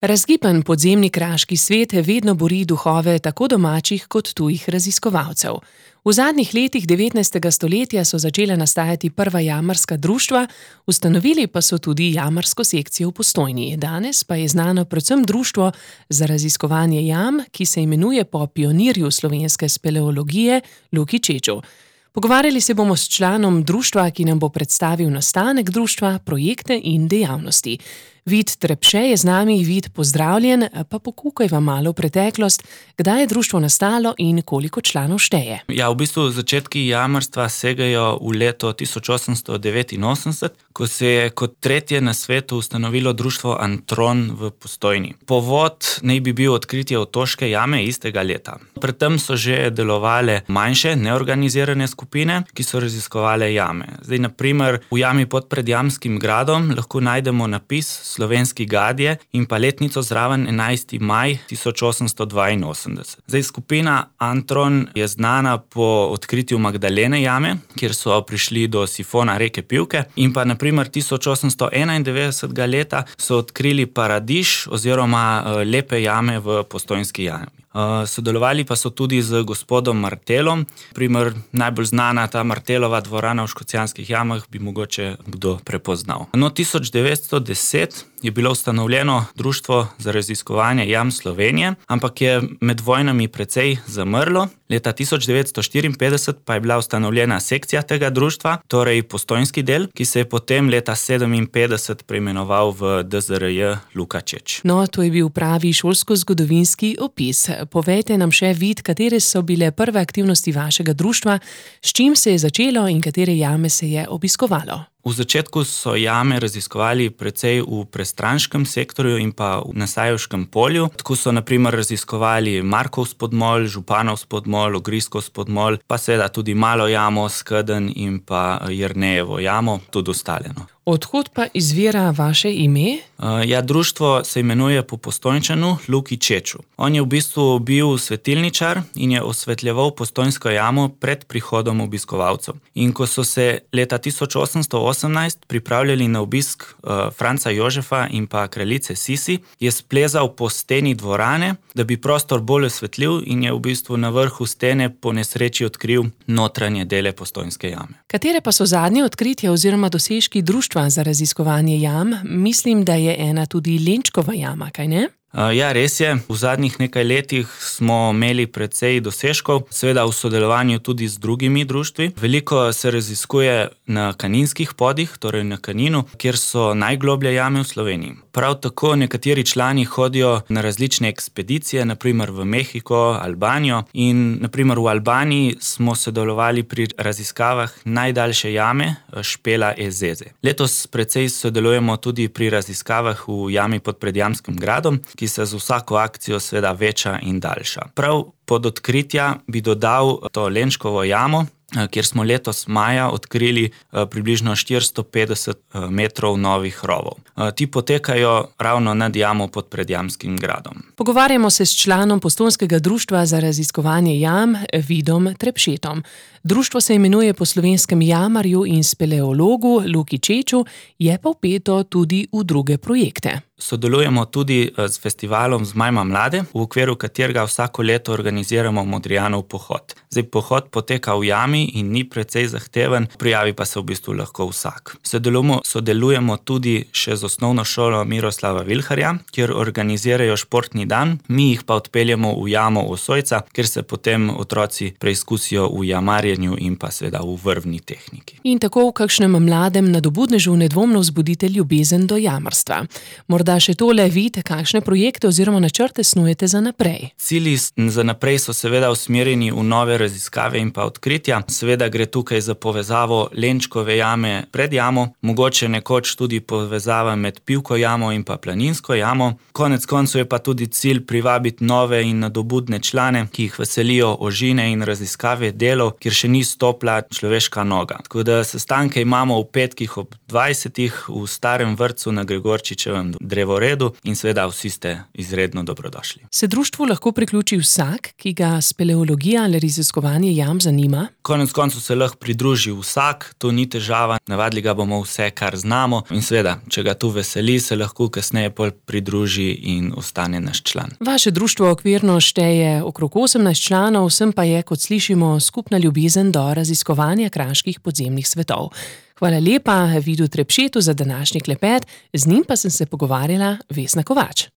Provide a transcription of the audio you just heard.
Razgiban podzemni kraški svet vedno buri duhove tako domačih kot tujih raziskovalcev. V zadnjih letih 19. stoletja so začela nastajati prva jamarska društva, ustanovili pa so tudi jamarsko sekcijo v Postojni. Danes pa je znano predvsem društvo za raziskovanje jam, ki se imenuje po pionirju slovenske speleologije Luki Čeču. Pogovarjali se bomo s članom društva, ki nam bo predstavil nastanek društva, projekte in dejavnosti. Vid Trepše je z nami. Vid, pozdravljen, pa pokukajva malo v preteklost, kdaj je društvo nastalo in koliko članov šteje. Ja, v bistvu začetki jamarstva segajo v leto 1889, ko se je kot tretje na svetu ustanovilo društvo Antron v Postojni. Povod naj bi bil odkritje Otoške jame istega leta. Predtem so že delovale manjše, neorganizirane skupine, ki so raziskovale jame. Zdaj, na primer, v jami pod Predjamskim gradom lahko najdemo napis Slovenski gadje in pa letnico zraven 11. maj 1882. Zdaj, skupina Antron je znana po odkritju Magdalene jame, kjer so prišli do sifona reke Pivke, in pa na primer 1891. leta so odkrili Paradiž oziroma lepe jame v Postojnski jami. Sodelovali pa so tudi z gospodom Martelom. Primer, najbolj znana ta Martelova dvorana v Škocjanskih jamah bi mogoče kdo prepoznal. No, 1910 je bilo ustanovljeno Društvo za raziskovanje jam Slovenije, ampak je med vojnami precej zamrlo. Leta 1954 pa je bila ustanovljena sekcija tega društva, torej postojnski del, ki se je potem leta 1957 preimenoval v DZRJ Luka Čeč. No, to je bil pravi šolsko-zgodovinski opis. Povejte nam še, Vid, katere so bile prve aktivnosti vašega društva, s čim se je začelo in katere jame se je obiskovalo? V začetku so jame raziskovali precej v Prestranškem sektorju in pa v Nasajevškem polju. Tako so na primer raziskovali Markov spodmol, Županov spodmol, Ogriskov spodmol, pa seveda tudi Malo jamo, Skedenj in pa Jernejevo jamo, tudi ostale. Odkot pa izvira vaše ime? Ja, društvo se imenuje po Postojnčanu Luki Čeču. On je v bistvu bil svetilničar in je osvetljeval Postojnsko jamo pred prihodom obiskovalcev. In ko so se leta 1818 pripravljali na obisk Franca Jožefa in pa kraljice Sisi, je splezal po steni dvorane, da bi prostor bolj osvetlil, in je v bistvu na vrhu stene po nesreči odkril notranje dele Postojnske jame. Katere pa so zadnje odkritja oziroma dosežki društva za raziskovanje jam? Mislim, da je ena tudi Lenčkova jama, kaj ne? Ja, res je. V zadnjih nekaj letih smo imeli precej dosežkov, seveda v sodelovanju tudi z drugimi društvi. Veliko se raziskuje na Kaninskih podih, torej na Kaninu, kjer so najgloblje jame v Sloveniji. Prav tako nekateri člani hodijo na različne ekspedicije, na primer v Mehiko, Albanijo, in na primer v Albaniji smo sodelovali pri raziskavah najdaljše jame Špela Ezeze. Letos precej sodelujemo tudi pri raziskavah v jami pod Predjamskim gradom, ki se z vsako akcijo seveda veča in daljša. Prav pod odkritja bi dodal to Lenčkovo jamo, kjer smo letos maja odkrili približno 450 metrov novih rovov. Ti potekajo ravno nad jamo pod Predjamskim gradom. Pogovarjamo se s članom Postojnskega društva za raziskovanje jam, Vidom Trepšetom. Društvo se imenuje po slovenskem jamarju in speleologu Luki Čeču, je pa vpeto tudi v druge projekte. Sodelujemo tudi s festivalom Zmajma mlade, v okviru katerega vsako leto organiziramo Modrijanov pohod. Zdaj, pohod poteka v jami in ni precej zahteven, prijavi pa se v bistvu lahko vsak. Sodelujemo tudi še z osnovno šolo Miroslava Vilharja, kjer organizirajo športni dan, mi jih pa odpeljemo v jamo Osojca, kjer se potem otroci preizkusijo v jamarjenju in pa seveda v vrvni tehniki. In tako v kakšnem mladem nadobudnežu nedvomno vzbudite ljubezen do jamarstva. Morda še tole, Vid, kakšne projekte oziroma načrte snujete za naprej? Cilji za naprej so seveda usmerjeni v nove raziskave in pa odkritja. Seveda gre tukaj za povezavo Lenčkove jame pred jamo, mogoče nekoč tudi povezava med Pivko jamo in pa Planinsko jamo. Konec koncev je pa tudi cilj privabiti nove in nadobudne člane, ki jih veselijo ožine in raziskave delov, kjer še ni stopila človeška noga. Tako da sestanke imamo v petkih ob 20. v starem vrtcu na Gregorčičevem drevesu. drevoredu in seveda vsi ste izredno dobrodošli. Se društvu lahko priključi vsak, ki ga speleologija ali raziskovanje jam zanima? Konec koncev se lahko pridruži vsak, to ni težava, navadili ga bomo vse, kar znamo in seveda, če ga tu veseli, se lahko kasneje pridruži in ostane naš član. Vaše društvo okvirno šteje okrog 18 članov, vsem pa je, kot slišimo, skupna ljubezen do raziskovanja kraških podzemnih svetov. Hvala lepa Vidu Trepšetu za današnji klepet, z njim pa sem se pogovarjala Vesna Kovač.